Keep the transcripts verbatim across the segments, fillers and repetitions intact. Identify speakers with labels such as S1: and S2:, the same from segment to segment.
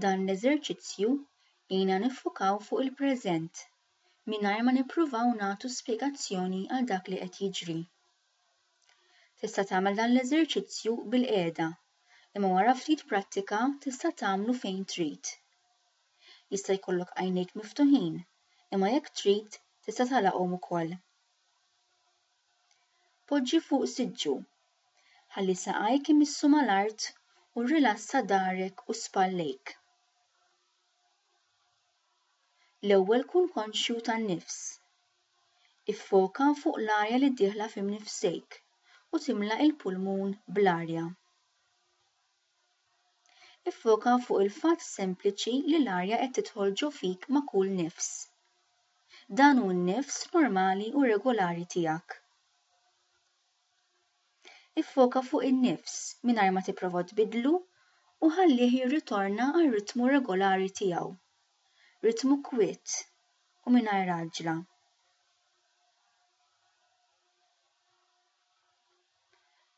S1: Dan l-eżerċizzju jgħinna niffukaw fuq il-preżent mingħajr ma nippruvaw nagħtu spjegazzjoni għal dak li qed jiġri. Tista' tagħmel dan l-eżerċizzju bilqiegħda, imma wara ftit prattika tista' tagħmlu fejn trid. Jista' jkollok għajnejk miftuħin, imma jekk trid tista' tagħlaqhom ukoll. Poġġi fuq siġġu. Ħalli saqajk imissu mal-art u rrilassa dahrek u spallejk. L-ewwel kun konxju tan-nifs. Iffoka fuq l-arja li dieħla f'imnifsejk u timla il-pulmun bl-arja. Iffoka fuq il-fatt sempliċi li l-arja qed tidħol ġo fik ma' kull nifs. Dan hu n-nifs normali u regolari tiegħek. Iffoka fuq in-nifs mingħajr ma tipprova tbiddlu u ħallih jirritorna għar-ritmu regolari tiegħu. Ritmu kwiet u mingħajr għaġla.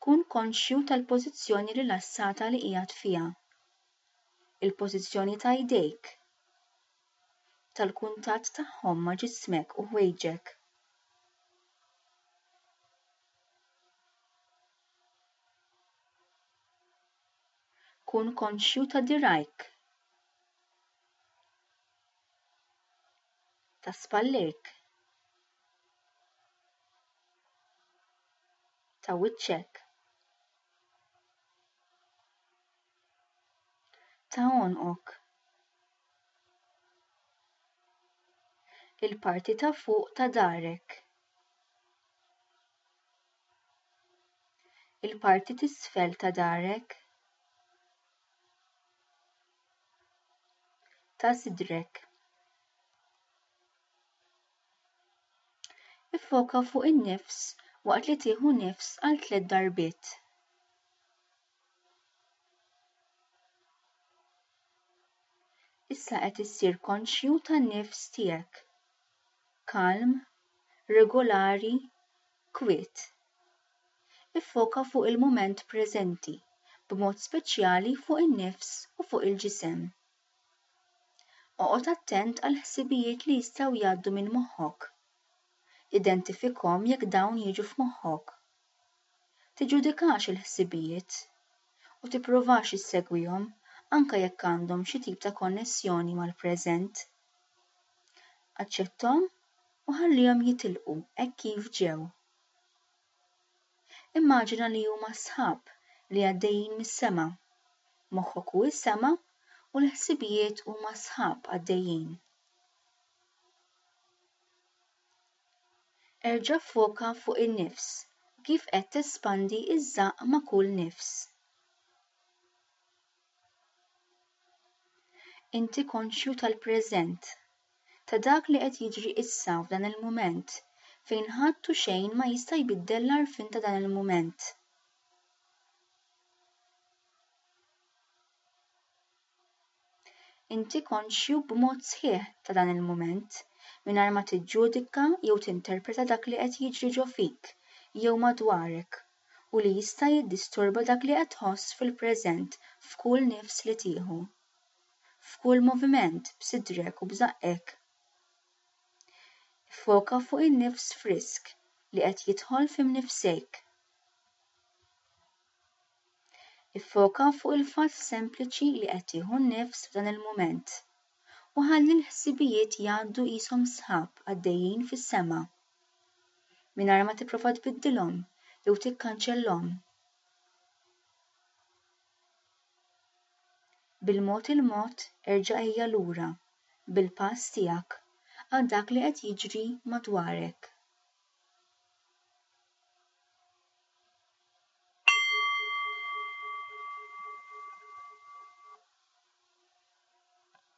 S1: Kun konxju tal-pożizzjoni rilassata li qiegħed fiha. Il-pożizzjoni ta' jdejk, tal-kuntatt tagħhom ma' ġismek u ħwejġek. Kun konxju ta' dirgħajk, ta' spallejk, ta' wiċċek, ta' għonqok. Il-parti ta' fuq ta' dahrek. Il-parti t'isfel ta' dahrek. Ta' sidrek. Iffoka fuq in-nifs waqt li tieħu nifs għal tliet darbiet. Issa qed issir konxju tan-nifs tiegħek. Kalm, regolari, kwiet. Iffoka fuq il-mument preżenti, b'mod speċjali fuq in-nifs u fuq il-ġisem. Oqgħod attent għal ħsibijiet li jistgħu jgħaddu minn moħħok. Identifikhom jekk dawn jiġu f'moħħok. Tiġġudikax il-ħsibijiet u tippruvax issegwihom anke jekk għandhom xi tip ta' konnessjoni mal-preżent. Aċċetthom u ħallihom jitilqu hekk kif ġew. Immaġina li huma sħab li għaddejjin mis-sema. Moħħok hu s-sema u l-ħsibijiet huma sħab għaddejjin. Erġa' ffoka fuq in-nifs u kif qed tespandi ż-żaqq ma' kull nifs. Inti konxju tal-preżent, ta' dak li qed jiġri issa f'dan il-mument fejn ħadd u xejn ma jista' jbiddel l-għarfien ta' dan il-mument. Inti konxju b'mod sħiħ ta' dan il-mument mingħajr ma tiġġudika jew tinterpreta dak li qed jiġri ġo fik jew madwarek u li jista' jiddisturba dak li qed tħoss fil-preżent f'kull nifs li tieħu. F'kull moviment b'sidrek u b'żaqqek. Iffoka fuq in-nifs frisk li qed jidħol f'imnifsejk. Iffoka fuq il-fatt sempliċi li qed tieħu n-nifs f'dan il-mument u ħalli l-ħsibijiet jgħaddu qishom sħab għaddejjin fis-sema. Mingħajr ma tipprova tbiddilhom jew tikkanċellhom. Bil-mod il-mod erġa' ejja lura bil-pass tiegħek għal dak li qed jiġri madwarek.